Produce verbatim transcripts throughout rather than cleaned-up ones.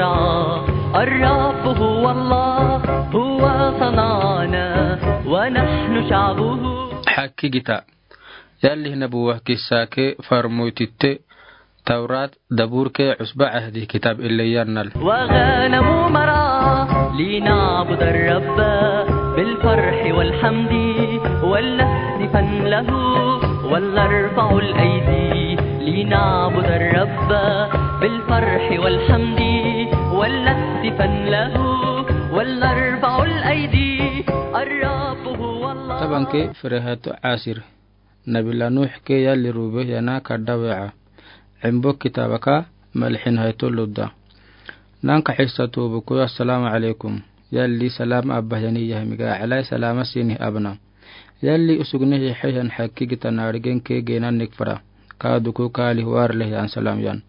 الرب هو الله، هو صنعنا ونحن شعبه. Hakkigita. Yalli nabuwa kissa ke farmoy titte, Tawrat, Dabur ke, Usba Ahdi kitab ille yannal. وغنم مرعى لنعبد الرب بالفرح والحمد ولنهتفن له ولنرفع الأيدي لنعبد الرب بالفرح والحمد ولنهتفن له ولنرفع الأيدي الرب هو الله. Taban ke fere hato asir. Nabila Nuh ke yalli rube yana kadda we'a. Embo kitaba ka malixin hayto ludda. Nanka xissa tubu kuyo assalamu alaikum. Yalli salam abba yani yahmiga alai salama sini abna. Yalli usugne hi xehan hakkigita narigen ke genan nikfara. Kadu ku kali warle yan salam yan.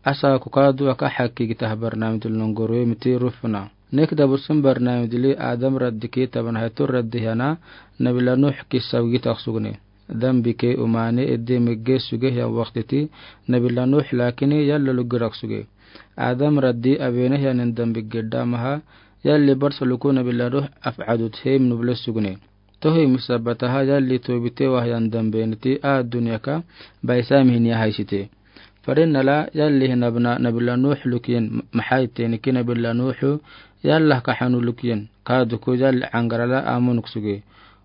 Asa ku kadu aka hakkigita habar namidul nunguru miti rufna. Nek dabursun barnamij dili Adam raddi ke taban hayto raddi hana Nabila Nuh kissa wigi taksugne. Dambi ke umane edde megge suge hiyan waqtiti Nabila Nuh lakini yalla luggi raksuge. Adam raddi abene hiyanin dambi gedda maha yalli barsa luku Nabila Nuh af'adut hem nuble sugne. Tohi misabbataha yalli tobite wahyan dambeniti a dunya ka baisa mihiniya haisite. Farin nala yalli hinabna Nabila Nuh lukiyen maxay teniki Nabila Nuh yalla ka hanu lukiyen. Kaduku yalli angarala amunuk suge.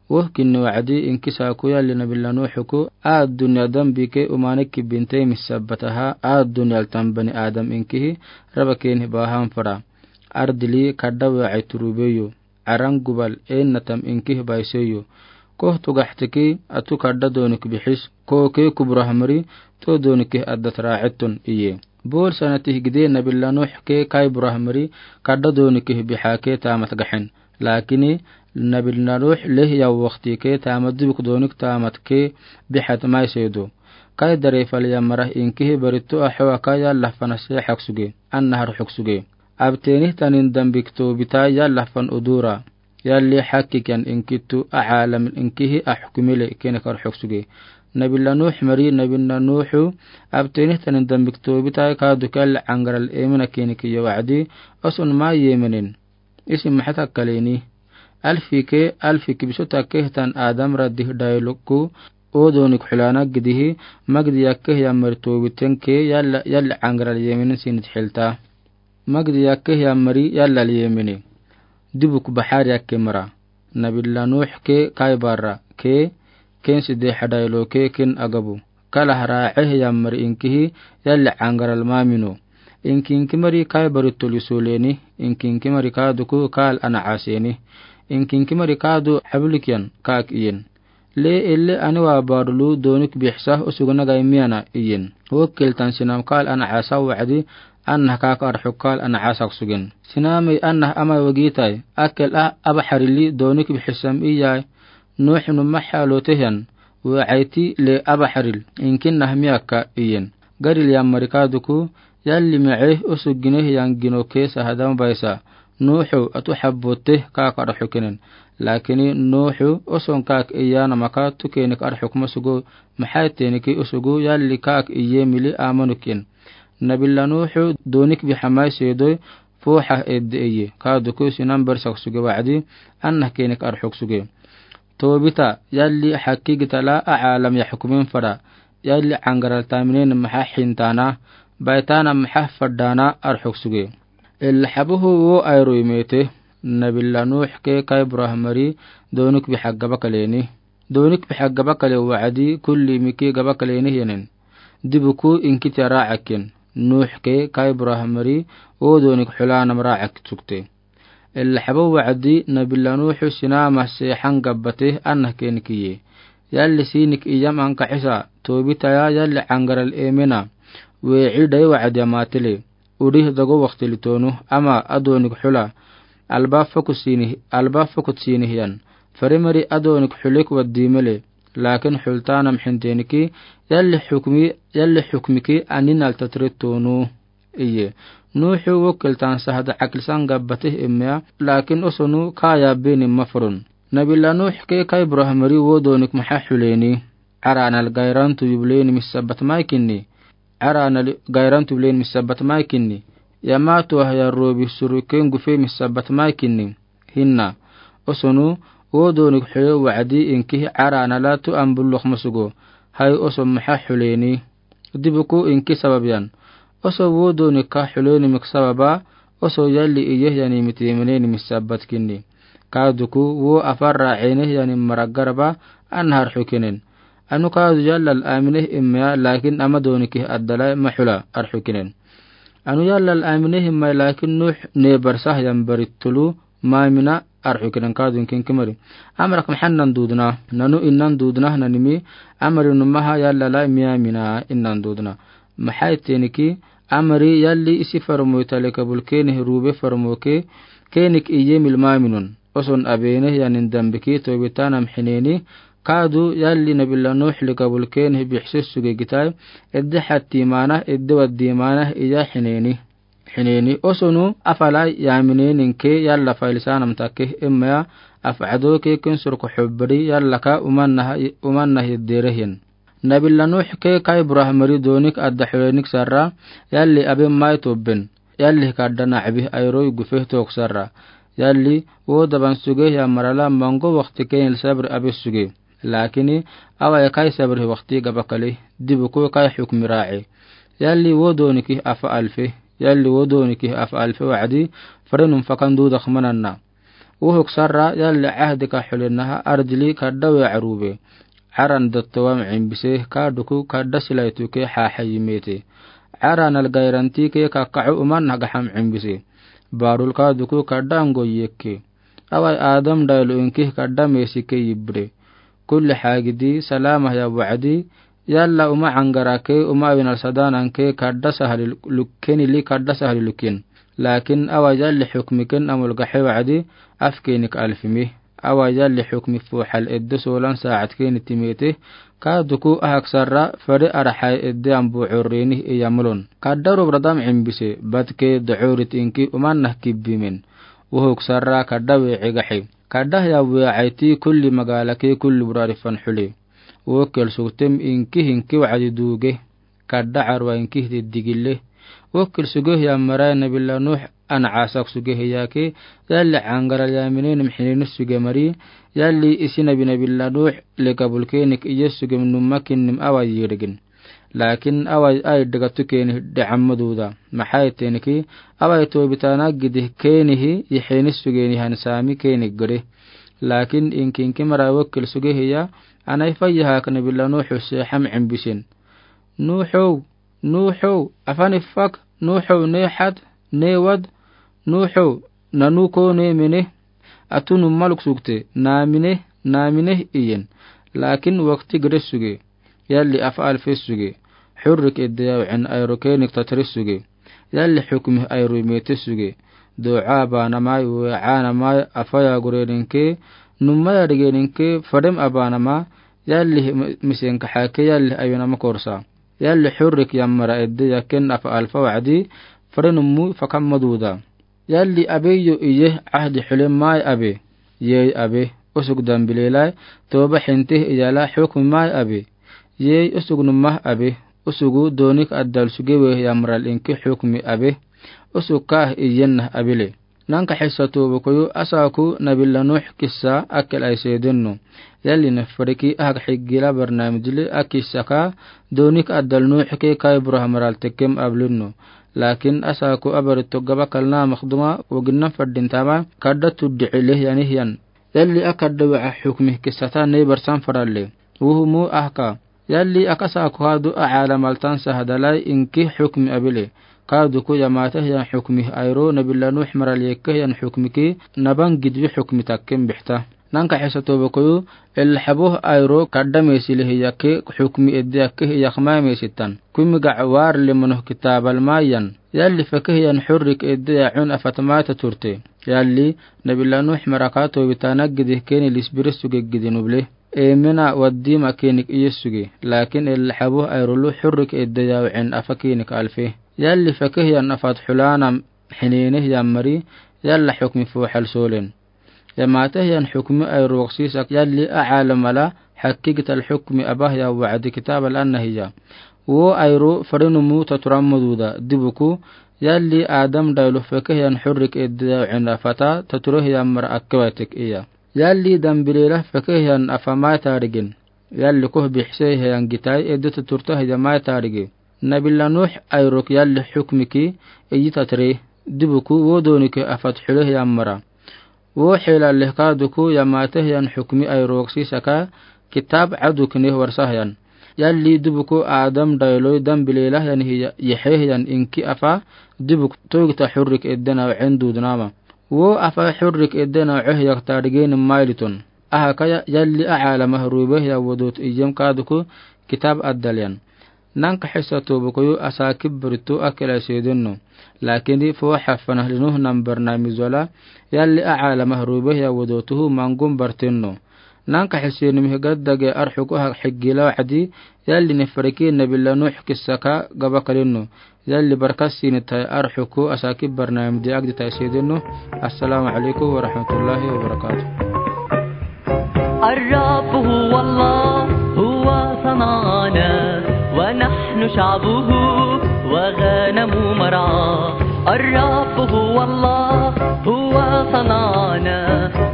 Woh kinni wa'adi inkisa ku yalli Nabila Nuh ku a dunya dambi ke umane kibinte misabbataha a dunya altan bani Adam inkihi raba keni bahan fara. Ardili kadda we'ay turubeyo. Aran gubal ennatam inkih baiseyo. Koh tugaxtiki atu kadda donik bixis, koh ke kuburahmari to donikih addat raaciton iye. Bol sanatih gide Nabila Nuh ke kai burahmari kadda donikih bixa ke taamat gaxen. Lakini Nabila Nuh leh yaw waqti ke taamat dibuk donik taamat ke bixat maisedo. Kai darefal yamarah inkih barito axowa kai yalla fana se xaksuge, anna har xuksuge. Abtenih tanin dambik tobita yalla fan udura. Yalli xakikan inkitu a caalam inkihi a xukumile kenek ar xuksuge. Nabila Nuh mari Nabila Nuhu abtenih tanin dambik tobita kadu kal angaral emina kenek iyo wa'adi osun ma yeminin. Isi maxat akkaleni. Alfi ke alfi kibisota kehtan Adam radih dailuku o donik xulana gidihi magdi yakkeh yamari tobiten ke yalla, yalla angaral yeminin sinit xilta. Magdi yakkeh yammari yallal yemini. Dibuk baxar yakke mara. Nabila Nuh ke kai barra ke ken side xadaylo ke ken agabu. Kala hara ceh yammari inkihi yalli angaral mamino. Inki inki mari kai bari toli soleni, inki inki mari kaduku kal ana aseni. Inki inki mari kadu xabulikiyan kak iyen. Le elle ani wa barulu donik bixsa usugna gai miyana iyen. Wokil tan sinam kal ana asa wa'adi anna kak arxuk kal ana asak sugen. Sinami anna amay wagitai akel a aba xarili donik bixsam iyay. Nuh numa xalo tehan wa'ayti le aba xaril inkin nah miyaka iyen. Garil yammari kaduku yalli mece usug gineh yan gino ke sahadam baisa. Nuhu atu xabote kak arxukinen. Lakini Nuhu oson kak iyana maka tukenik arxuk masugu maxay teniki usugu yalli kak iye mili amanukin. Nabila Nuhu donik bixamay sedoy fuxa edde iye. Kaduku sinan barsak suge wa'adi anna kenik arxuk suge. Tobita yalli xakki gitala a caalam yaxkumin fara. Yalli angaral taminen maxa xintana baitana maxa fadana arxuk suge. Illa xabuhu wo ayro imete. Nabila Nuh ke kai burahmari donik bixa gaba kaleni. Donik bixa gaba kale wa'adi kulli miki gaba kaleni yenen. Dibuku inkiti raacakin. Nuh ke kai burahmari wo donik xulanam raacak sukte. Illa xabo wa'adi Nabila Nuhu sinama sexan gabbate anna kenikiye. Yalli sinik iyam anka xisa tobitaya yalli angaral emena. Weeci dai wa'adi amatele. Udih dago waqtili tonu ama adonik xula. Alba fokut sinih, alba fokut sinih yan. Farimari adonik xulek wadimele. Lakin xultanam xinteniki yalli xukmi, yalli xukmiki anin altatire tonu. Iye. Nuhu wokil tan sahada akilsan gabbatih immiya, lakin osonu kaya beni mafurun. Nabila Nuh ke kai burahmari wo donik maxa xuleni. Aranal gairantu yubleni misabat maikinni. Aranal gairantu yubleni misabat maikinni. Yamato ah ya robi suruken gufe misabat mai kinni. Hinna. Osonu, wo doonik xule wacdi inki ara anala tu ambulok masugo. Hai oso maxa xuleni. Dibuku inki sabab yan. Oso wo doonik ka xuleni mik sababa, oso yalli iye yani miti meneni misabat kinni. Ka duku wo afarra ene yani maragaraba an har xukinen. Anu ka du yallal amine imya lakin ama doonik adala maxula ar xukinen. Anu yallal amine imya lakin nuux ne barsah yan baritulu mamina ar xukinen ka dun kinki mari. Amarak maxan nan dudna, nanu innan dudna nanimi, amari numaha yallala miyamina innan dudna. Maxai teniki, amari yalli isi farmoy tale kabul kene rube farmoke, kenik iye mil maminun. Oson abene yanin dambiki tobitanam xineni, ka du yalli nabila nuux li kabul kene bixsis suge gitai, edde xatti mana, edde waddi mana iya xineni. Xineni osonu afala yaminen inke yalla failisanam take imya afcado ke kin surko xubbari yalla ka umannaha, umannaha yedderehin. Nabila nuux ke kai burahmari doonik adda xulenik sarra, yalli abe mai tobben. Yalli kadda nabi ayroy gufe tok sarra. Yalli wo daban suge ya marala mango wakti kenil sabri abe suge. Lakini awa ya kai sabri wakti gabakali. Dibuku kai xukmi raci. Yalli wo dooniki afa alfe. Yalli wo dooniki afa alfe wacdi. Farenum fakan dudak mananna. Wuxuk sarra yalli cahdi ka xulenaha ardili kadda we carube. Caran dattowam cimbise ka duku kadda silaytuke xaxayimete. Caran algayranti ke kakacu umanna gaxam cimbise. Barul ka duku kadda angoyekke. Awai adam daylu inki kadda mesike yibre. Kulli xagidi salamah ya wacdi. Yalla uma cangara ke uma awinal sadanan ke kadda sahali luk-, kenili kadda sahali lukin. Lakin awa yalli xukmiken amul gaxe wacdi afkenik alfimi. Awa yalli xukmi fuxal edde solan saacad keni timete. Ka duku ahak sarra fare araxay edde ambu curreni iyamulun. Kadda rubradam cimbise badke docurit inki umannah kibbimen. Wuxuk sarra kadda we cigaxe. Kadda ya we cayti kulli magalake kulli burarifan xule. Wokel sugtem inki hinki wacdi duge. Kadda carwa inki hiti digile. Wokel suge ya maray nabila nuux an casak suge yake. Yalli cangara yaminen mxineni suge mari. Yalli isi nabi nabila nuux le kabul kenik iye suge numakinim awa yirgin. Lakin awai ai degatu keni decamma duda. Maxai teniki awai tobitana gidi kenihi yixeni sugeni han sami keni gede. Lakin inkinki mara wokel suge hiya anai fayya hak nabila nuxu se xam cimbisin. Nuxu, nuxu, afani fak, nuxu ne xad, ne wad, nuxu nanu ko ne mene. Atunu maluk sugte namine, namine iyen. Lakin wakti gede suge. Yalli afa alfe suge. Xurrik edde yawcen ayro kenik tatri suge. Yalli xukmi ayro mete suge. Duca banamai wecanamai afaya gureninke. Numaya digeninke fadem abanama. Yalli misenka xake yalli ayunama korsa. Yalli xurrik yammara edde yaken afa alfa wacdi. Fadem mu fakamma duda. Yalli abeyo iye cahdi xule mai abe. Yey abe. Usug dambilelai toba xintih iyala xukmi mai abe. Yey usug numah abe. Usugu doonik addal suge we yamral inki xukmi abe. Usug kaah iyenna abile. Nanka xisa toba koyu asaku nabila nuux kisa akel aisedenno. Yalli nafariki ahak xigila barnamijli akisaka doonik addal nuux ke kai buraha maral tekem ablinno. Lakin asaku abari togaba kalna makduma woginna fadintama kadda tuddi cile yani hiyan. Yalli akadda waca xukmi kisata ney barsan faralle. Wuhumu ahka. Yalli akasaku hadu acaala maltan sahadalai inki xukmi abile. Kaduku yamata hiyan xukmi ayro nabila nuux maral yekke hiyan xukmiki naban gidwi xukmi takken bixta. Nanka xisa toba koyu, ilxabuh ayro kadda mesile hiyake xukmi edde yakke hiyakma mesitan. Kumi gac war limonoh kitabal mayan. Yalli fake hiyan xurrik edde yacun afatmata turte. Yalli nabila nuux maraka tobitana gidi keni lisbiri suge gidi nuble. Emena waddi makenik iye suge. Lakin ilxabuh ayrolu xurrik edde yawcen afa kenik alfe. Yalli fake hiyan afat xulanam xinene hiyan mari. Yalla xukmi fuxal solen. Yamata hiyan xukmi ayro waqsisak yalli acaala mala xakki gital xukmi abah ya wacdi kitabal anna hiya. Wo ayro farinumu taturamɔ duda, dibuku, yalli Adam daylo fekehian xurrik edde dawacen afata taturehian mara akkewatik iya. Yalli dambilela fekehian afa mai tarigen. Yalli koh bixiseihian gitai edde taturtahian mai tarige. Nabila Nuux ayrok yalli xukmiki, iyi tatire, dibuku, wo doonike afat xulehian mara. Wo xelaleh kaaduku yamaatehian xukmi ayrok sisaka, kitaab caduk neh warsahian. Yalli dibuku Adam daylo dambilelahian hi yexehian inki afa, dibuku toogita xurrik edde nawacen dudnama. Wo afa xurrik edde nawacehiak tarigenin mailiton. Ahakaya yalli acaalamah ruubehian wodoot ijem kaaduku kitaab adalyan. Nanka xisa tobukoyu asaakib barito akela seedeno. Laakin foo xafanah linuhnan barnaamij wala, yalli acaalamah ruubehian wodootuhu mangun barteno. Nanka xiseenimih gaddage arxuku hak xigila wacdi, yalli nifariki Nabila Nuux kissaka gaba kaleno. Yalli barka siinitai arxuku asaakib barnaamijdi agditai seedeno. Assalaamu calaykum waraxmatullaahi wabarakaatuh. الرب هو الله، هو صنعنا، ونحن شعبه وغنم مرعاه. الرب هو الله، هو صنعنا،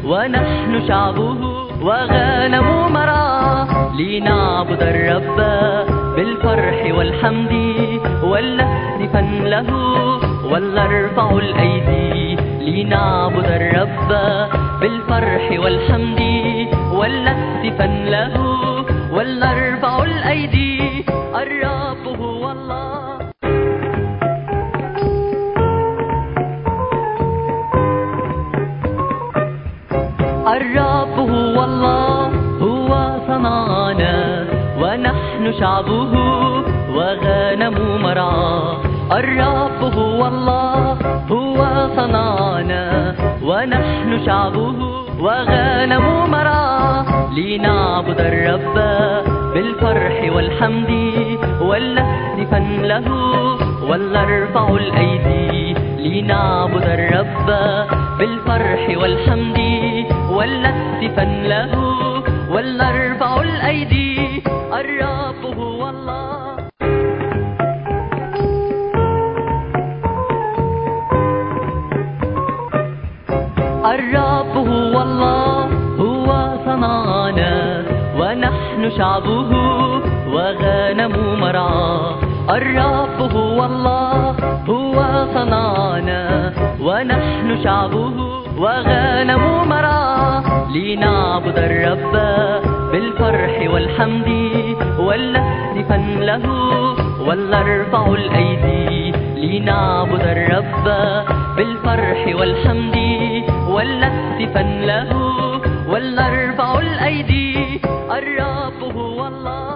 ونحن شعبه وغنم مرعاه. لنعبد الرب بالفرح والحمد، ولنهتفن له، ولنرفع الأيدي. لنعبد الرب بالفرح والحمد، ولنهتفن له، ولنرفع الأيدي. الرب هو الله. الرب هو الله، هو صنعنا، ونحن شعبه وغنم مرعاه. الرب هو الله، هو صنعنا، ونحن شعبه وغنم مرعاه. لنعبد الرب بالفرح والحمد، ولنهتفن له، ولنرفع الأيدي. لنعبد الرب بالفرح والحمد، ولنهتفن له، ولنرفع الأيدي. الرب هو الله. الرب هو الله، هو صنعنا، ونحن شعبه وغنم مرعاه. الرب هو الله، هو صنعنا، ونحن شعبه وغنم مرعاه. لنعبد الرب بالفرح والحمد، ولنهتفن له، ولنرفع الأيدي. لنعبد الرب بالفرح والحمد، ولنهتفن له، ولنرفع الأيدي. الرب هو الله.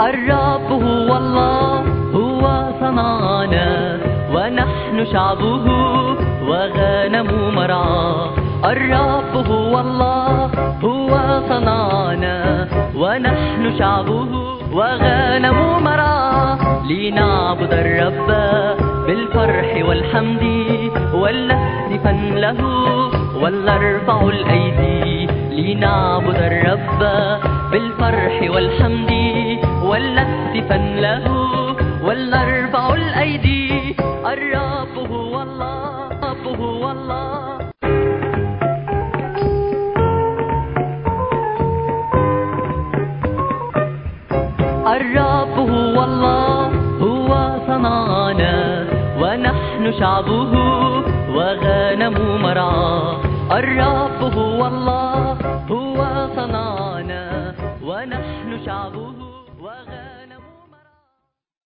الرب هو الله، هو صنعنا، ونحن شعبه وغنم مرعاه. الرب هو الله، هو صنعنا، ونحن شعبه وغنم مرعاه. لنعبد الرب بالفرح والحمد، ولنهتفن له، ولنرفع الأيدي. لنعبد الرب بالفرح والحمد، ولنهتفن له، ولنرفع الأيدي. الرب هو الله، الرب هو الله. الرب هو الله، هو صنعنا، ونحن شعبه وغنم مرعاه. الرب هو الله.